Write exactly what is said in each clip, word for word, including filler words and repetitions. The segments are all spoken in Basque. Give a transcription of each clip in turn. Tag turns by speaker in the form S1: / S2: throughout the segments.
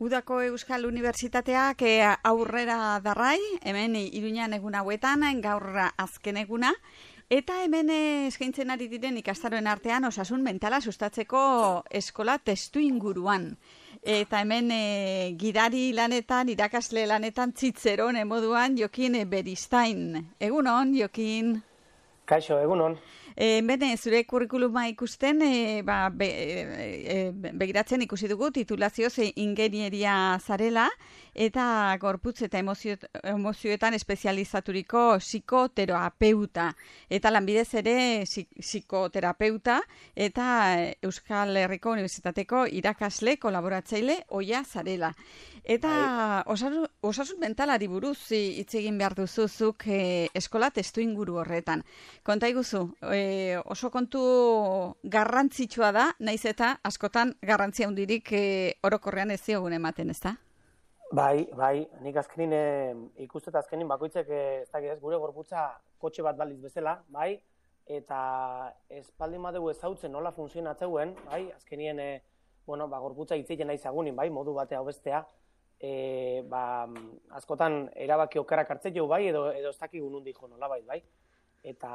S1: Udako Euskal Unibertsitateak e, aurrera darrai, hemen Iruñan egun hauetan, gaur azken eguna, eta hemen eskaintzen ari diren ikastaroen artean osasun mentala sustatzeko eskola testu inguruan. Eta hemen e, gidari lanetan, irakasle lanetan, Txitzeron moduan Jokin Beristain. Egunon, Jokin?
S2: Kaixo, egunon.
S1: E, bene, zure kurrikuluma ikusten, e, ba, be, e, begiratzen ikusi dugu titulazioz ingenieria zarela, eta gorputz eta emozio, emozioetan espezializaturiko psikoterapeuta. Eta lanbidez ere psikoterapeuta, eta Euskal Herriko Unibertsitateko irakasle, kolaboratzaile, oia zarela. Eta osasun, osasun mentalari buruz hitz egin behar duzuzuk e, eskola testu inguru horretan. Konta iguzu, e, oso kontu garrantzitsua da, naiz eta askotan garrantzia hundirik e, orokorrean ez ziogun ematen, ez da?
S2: Bai, bai, nik azkenin e, ikustet azkenin bakoitzek ez da ez, gure gorputza kotxe bat baliz bezala, bai, eta espaldin badegu ezautzen nola funtzionatzeuen, bai, azkenien e, bueno, ba, gorputza hitzeiten nahi zagunin, bai, modu batea hobestea, e, ba, askotan erabaki okarak hartzeu, bai, edo, edo ez dakigu nundi jo nolabait, bai. Eta,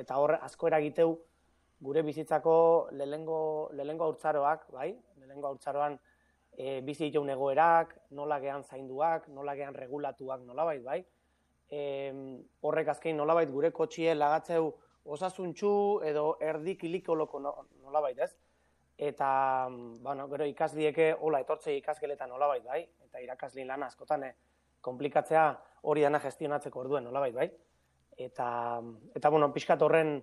S2: eta hor asko eragiteu gure bizitzako lehengo lehengo haurtzaroak, bai? Lehengo haurtzaroan e, bizi ditugun egoerak, nola gehan zainduak, nola gehan regulatuak nolabait, bai? E, horrek azkein nolabait gure kotxie lagatzeu osasuntxu edo erdi kilikoloko nolabait, ez? Eta, bueno, gero ikaslieke hola etortzei ikasgeletan nolabait, bai? Eta irakaslin lana askotan eh, komplikatzea hori dana gestionatzeko orduen nolabait, bai? Eta, eta bueno, pixkat horren,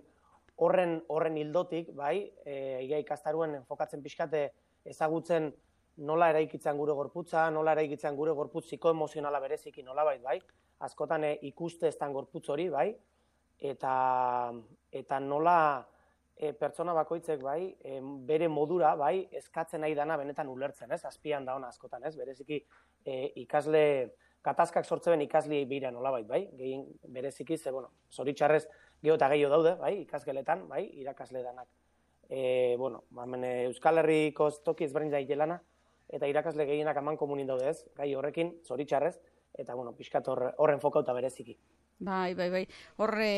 S2: horren, horren hildotik, bai, e, ia ikastaruen enfokatzen pixkate ezagutzen nola eraikitzen gure gorputza, nola eraikitzen gure gorputz psikoemozionala bereziki nolabait, bai, askotan e, ikuste estan gorputz hori, bai, eta, eta nola e, pertsona bakoitzek, bai, e, bere modura, bai, eskatzen nahi dana benetan ulertzen, ez, azpian da ona askotan, ez, bereziki e, ikasle katazkak sortzen ikasliei beira nolabait, bai? Gehien bereziki ze, bueno, zoritxarrez geho eta gehiago daude, bai? Ikasgeletan, bai? Irakasle danak. E, bueno, hemen Euskal Herriko toki ezberdin daitelana eta irakasle gehienak aman komunin daude ez, gai horrekin, zoritxarrez, eta, bueno, pixkat horren fokauta bereziki.
S1: Bai, bai, bai. Horre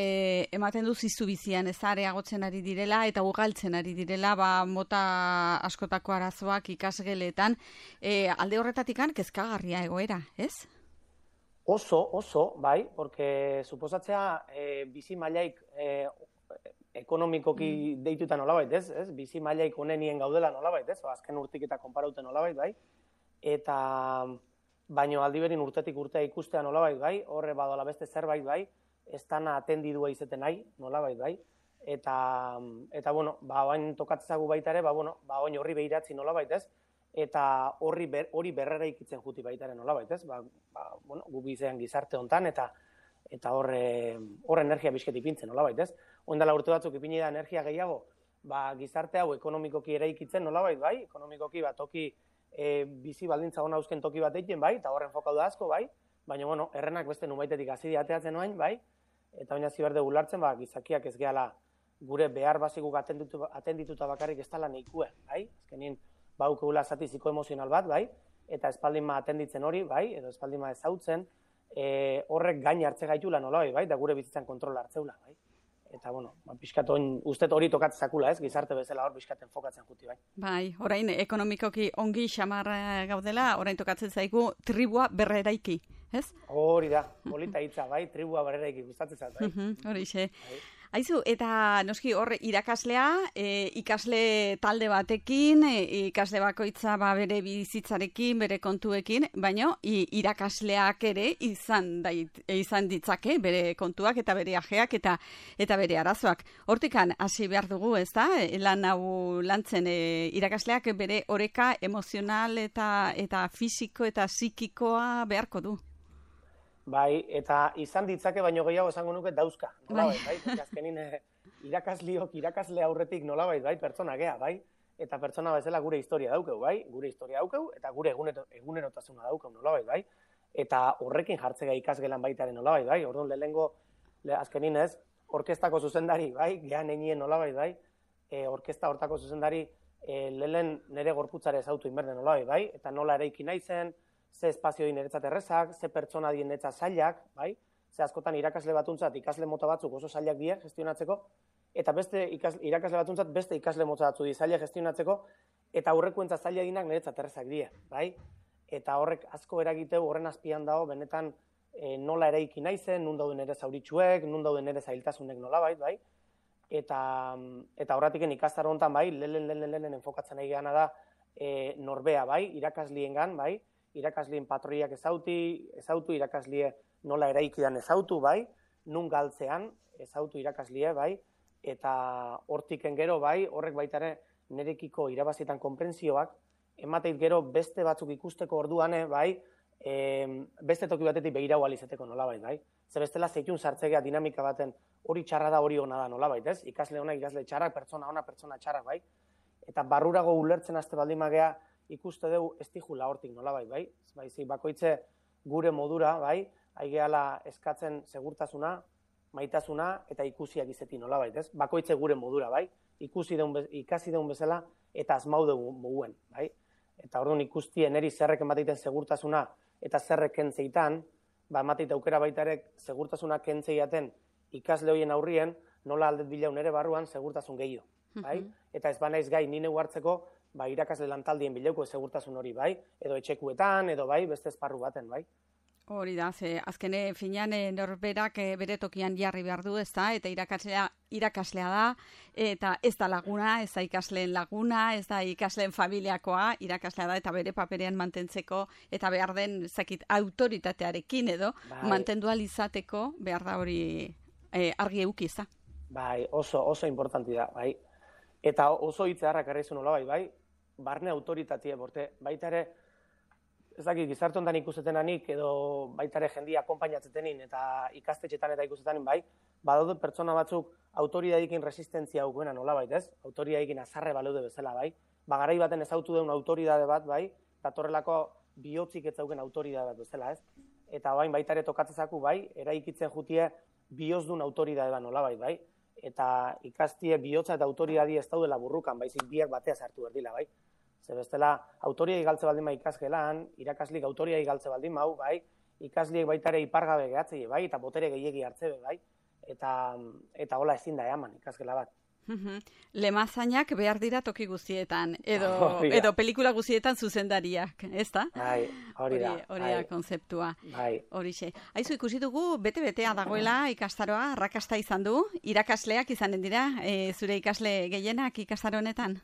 S1: ematen du zizu bizian ez areagotzen ari direla eta ugaltzen ari direla ba, mota askotako arazoak ikasgeletan. E, alde horretatikan kezkagarria egoera, ez?
S2: Oso, oso, bai, porque suposatzea e, bizi mailaik e, ekonomikoki mm. deituta nolabait, ez? ez? Bizi mailaik onenien gaudela nolabait, ez? O, azken urtik eta konparauten nolabait, bai? Eta baino aldiberin urtetik urtea ikustea nolabait, bai? Horre badola beste zerbait, bai? Ez dana atendidua izeten nahi, nolabait, bai? Eta, eta bueno, ba, oain tokatzagu baita ere, ba, bueno, ba, oain horri behiratzi nolabait, ez? Eta horri ber, hori berrera ikitzen juti baitaren nolabait, ez? Ba, ba, bueno, gu bizean gizarte hontan eta eta horre hor energia bizket ipintzen nolabait, ez? Oindala urte batzuk ipini da energia gehiago, ba, gizarte hau ekonomikoki eraikitzen nolabait, bai? Ekonomikoki bat toki e, bizi baldintza ona uzken toki bat egiten, bai? Eta horren fokau da asko, bai? Baina, bueno, errenak beste nubaitetik hasi ateatzen noain, bai? Eta baina ziberde gulartzen, ba, gizakiak ez gehala gure behar baziguk atenditu, atendituta bakarrik ez tala neikue, bai? Azkenin, baukegula zati psikoemozional bat, bai, eta espaldin ma atenditzen hori, bai, edo espaldin ma ezautzen, e, horrek gain hartze gaitula nola, bai, da gure bizitzan kontrola hartzeula, bai. Eta, bueno, ba, pixkat ustet hori tokatzezakula, ez, gizarte bezala hor pixkaten fokatzen juti, bai.
S1: Bai, orain ekonomikoki ongi xamar gaudela, orain tokatzen zaigu tribua berreraiki, ez?
S2: Hori da, polita hitza, bai, tribua berreraiki gustatzen zait, bai.
S1: Hori xe. Aizu, eta noski hor irakaslea, e, ikasle talde batekin, e, ikasle bakoitza ba, bere bizitzarekin, bere kontuekin, baina irakasleak ere izan, dait, izan ditzake bere kontuak eta bere ajeak eta eta bere arazoak. Hortikan hasi behar dugu, ez da? Lan hau lantzen e, irakasleak bere oreka emozional eta eta fisiko eta psikikoa beharko du.
S2: Bai, eta izan ditzake baino gehiago esango nuke dauzka, nolabait, bai? bai? Azkenin eh, irakasliok, irakasle aurretik nolabait, bai? Pertsona gea, bai? Eta pertsona bezala gure historia daukeu, bai? Gure historia daukeu eta gure egunero, egunerotasuna daukeu, nolabait, bai? Eta horrekin jartzega ikasgelan baitaren nolabait, bai? Orduan lehengo, le, azkenin ez, orkestako zuzendari, bai? Gehan enien nolabait, bai? E, orkesta hortako zuzendari e, lehen nire gorputzare ezautu inberde nola bai, eta nola eraiki naizen, ze espazio di niretzat errezak, ze pertsona di niretzat zailak, bai, ze askotan irakasle batuntzat ikasle mota batzuk oso zailak die gestionatzeko, eta beste ikasle, irakasle batuntzat beste ikasle mota batzu di zailak gestionatzeko, eta aurrekoentzat zaila dinak niretzat errezak die, bai, eta horrek asko eragiteu horren azpian dago benetan e, nola eraiki naizen, nun dauden ere zauritxuek, nun dauden ere zailtasunek nolabait, bai, eta eta horratiken ikastaro hontan bai, lehen lehen lehen enfokatzen nahi geana da e, norbea bai, irakasliengan bai, irakaslien patroiak ezauti, ezautu irakaslie nola eraikidan ezautu bai, nun galtzean ezautu irakaslie bai, eta hortiken gero bai, horrek baita ere nerekiko irabazietan konprentsioak, emateit gero beste batzuk ikusteko orduan bai, e, beste toki batetik begirau alizeteko nolabait bai. Zer bestela zeitun sartzegea dinamika baten hori txarra da hori ona da nolabait, ez? Ikasle ona, ikasle txarrak, pertsona ona, pertsona txarrak bai. Eta barrurago ulertzen haste baldin magea ikuste dugu ez tijula hortik nolabait, bai? Baizik bakoitze gure modura, bai? Aigeala eskatzen segurtasuna, maitasuna eta ikusiak izeti nolabait, ez? Bakoitze gure modura, bai? Ikusi deun, ikasi deun bezala eta asmau dugu muguen, bai? Eta orduan ikustien eri zerrek emateiten segurtasuna eta zerrek kentzeitan, ba emateite aukera baita ere segurtasuna kentzeiaten ikasle hoien aurrien, nola aldet bilaun ere barruan segurtasun gehiago, bai? Eta ez banaiz gai nine hartzeko, ba, irakasle lantaldien bileuko segurtasun hori, bai? Edo etxekuetan, edo bai, beste esparru baten, bai?
S1: Hori da, ze azkene finean norberak bere tokian jarri behar du, ez da, eta irakaslea, irakaslea da, eta ez da laguna, ez da ikasleen laguna, ez da ikasleen familiakoa, irakaslea da, eta bere paperean mantentzeko, eta behar den, zakit, autoritatearekin edo, bai. Mantendu alizateko, behar da hori e, argi euki, ez da?
S2: Bai, oso, oso importanti da, bai. Eta oso hitzeharrak erraizu nola bai, bai, barne autoritatea, borte, baita ere, ez dakit, gizarte hontan ikustetenanik, edo baita ere jendia akonpainatzetenin, eta ikastetxetan eta ikustetenin, bai, badaude pertsona batzuk autoridadikin resistentzia aukuena nola bait, ez? Autoridadikin azarre baleude bezala, bai. Bagarai baten ezautu deun autoridade bat, bai, datorrelako bihotzik ez zauken autoridade bat bezala, ez? Eta bain baita ere tokatzezaku, bai, eraikitzen jutie bihozdun autoridade bat nola bait, bai. Eta ikastie bihotza eta autoridadi ez daudela burrukan, baizik biak batea sartu berdila, bai. Ze bestela, autoriai galtze baldin ma ikasgelan, irakaslik autoriai galtze baldin mau, bai, ikasliek baita ere ipargabe gehatzei, bai, eta botere gehiegi hartzebe, bai, eta, eta hola ezin da eman ikasgela bat.
S1: Lemazainak behar dira toki guztietan, edo, edo pelikula guztietan zuzendariak, ez da?
S2: Bai, hori da.
S1: Hori da konzeptua.
S2: Bai.
S1: Horixe. Aizu, ikusi dugu, bete-betea dagoela ikastaroa, arrakasta izan du, irakasleak izanen dira, e, zure ikasle gehienak ikastaro honetan?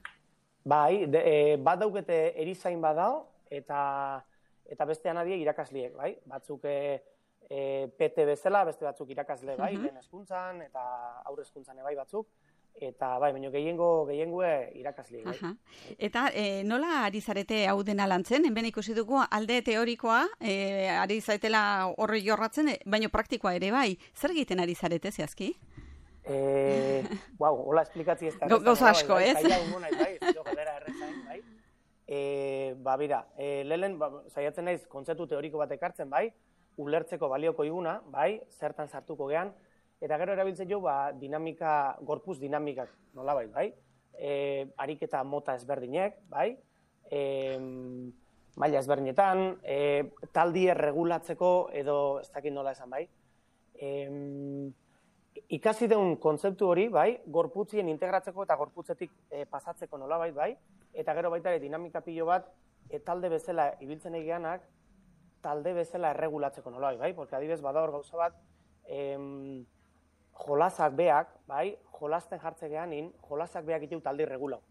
S2: Bai, de, e, bat daukete erizain badao, eta eta beste anadie irakasliek, bai? Batzuk e, e, P T bezala, beste batzuk irakasle, bai? Uh -huh. Lehen hezkuntzan eta aurre hezkuntzan bai batzuk. Eta bai, baina gehiengo gehiengoe irakasliek, bai.
S1: Aha. Eta e, nola ari zarete hau dena lantzen? Hemen ikusi dugu alde teorikoa, e, ari zaretela horri jorratzen, baina praktikoa ere bai. Zer egiten ari zarete zehazki?
S2: Eh, wow, hola esplikatzi ez da.
S1: Gauza asko, ez?
S2: Zaila ungo nahi, bai, ez galdera errezain, bai. Eh, ba, bira, eh, lehen, ba, saiatzen naiz kontzeptu teoriko bat ekartzen, bai, ulertzeko balioko iguna, bai, zertan sartuko gean, eta gero erabiltzen jo, ba, dinamika, gorpuz dinamikak, nolabait, bai, eh, ariketa mota ezberdinek, bai, eh, maila ezberdinetan, eh, taldi erregulatzeko, edo ez dakit nola esan, bai, eh, ikasi deun kontzeptu hori, bai, gorputzien integratzeko eta gorputzetik e, pasatzeko nolabait, bai, eta gero baita ere dinamika pilo bat e, talde bezala ibiltzen egianak, talde bezala erregulatzeko nolabait, bai, porque adibez bada hor gauza bat, em, jolasak beak, bai, jolasten jartze geanin, jolasak beak iteu talde irregulau,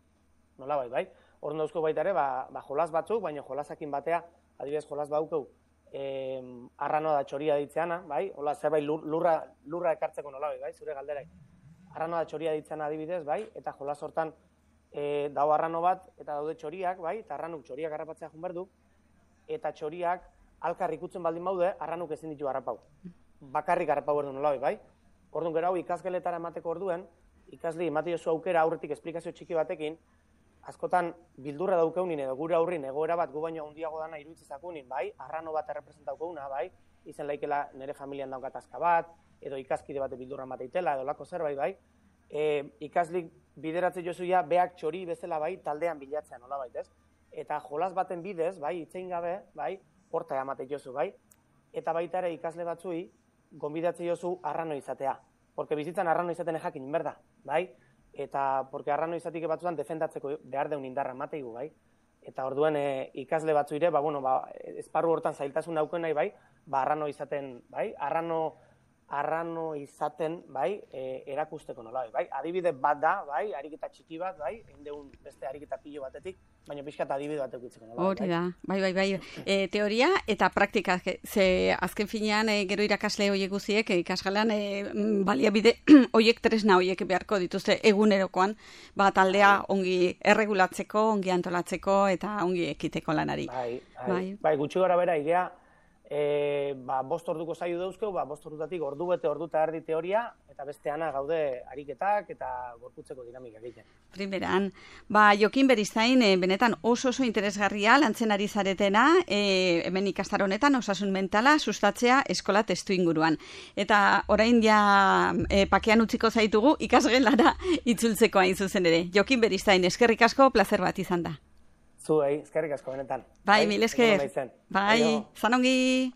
S2: nolabait, bai, hor dauzko baita ere, ba, ba jolas batzuk, baina jolasakin batea, adibez jolas baukeu, Eh, arranoa da txoria ditzeana, bai? Hola, zerbait lurra, lurra ekartzeko nolabait, bai? Zure galderai. Arranoa da txoria ditzeana adibidez, bai? Eta jolas hortan eh, dago arrano bat eta daude txoriak, bai? Eta arranuk txoriak harrapatzea jun berdu, eta txoriak alkar ikutzen baldin baude, arranuk ezin ditu harrapau. Bakarrik harrapau berdu nolabait, bai? Orduan gero hau ikasgeletara emateko orduen, ikasli emate jozu aukera aurretik esplikazio txiki batekin, askotan bildurra daukeunin edo gure aurrin egoera bat gu baino handiago dana iruditzezakunin, bai, arrano bat errepresentaukeuna, bai, izen laikela nire familian daukat azka bat, edo ikaskide bate bildurra mateitela, edo lako zerbait, bai, e, ikaslik bideratzen jozuia, beak txori bezala bai, taldean bilatzea nola bait, ez? Eta jolas baten bidez, bai, itzein gabe, bai, horta amate jozu, bai? Eta baita ere ikasle batzui, gonbidatzen jozu arrano izatea. Porque bizitzan arrano izaten jakin inberda, bai? Eta, porque arrano izatik batzuan defendatzeko behar deun indarra mateigu, bai? Eta orduen e, ikasle batzuire, ba, bueno, ba, esparru hortan zailtasun auken nahi, bai? Ba, arrano izaten, bai? Arrano, arrano izaten, bai? E, erakusteko nola, bai? Adibide bat da, bai? Ariketa txiki bat, bai? Eindeun beste ariketa pilo batetik, baina pixkat adibide bat eukitzeko nola,
S1: hori da, bai, bai, bai. E, teoria eta praktika, ze azken finean e, gero irakasle horiek guziek, e, ikasgalan e, baliabide horiek tresna horiek beharko dituzte egunerokoan, ba, taldea ongi erregulatzeko, ongi antolatzeko eta ongi ekiteko lanari.
S2: Bai, bai, bai. bai gutxi gara bera, idea, e, ba, bost orduko zaio dauzkeu, ba, bost ordutatik ordu bete ordu eta erdi teoria, eta besteana gaude ariketak eta gorputzeko dinamika egiten.
S1: Primeran, ba, Jokin Beristain, e, benetan oso oso interesgarria lantzen ari zaretena, e, hemen ikastar honetan osasun mentala sustatzea eskola testu inguruan. Eta orain ja e, pakean utziko zaitugu ikasgelara itzultzeko hain zuzen ere. Jokin Beristain, eskerrik asko, plazer bat izan da.
S2: Zuei, eskerrik asko benetan.
S1: Bai, mil esker. Bai, zanongi.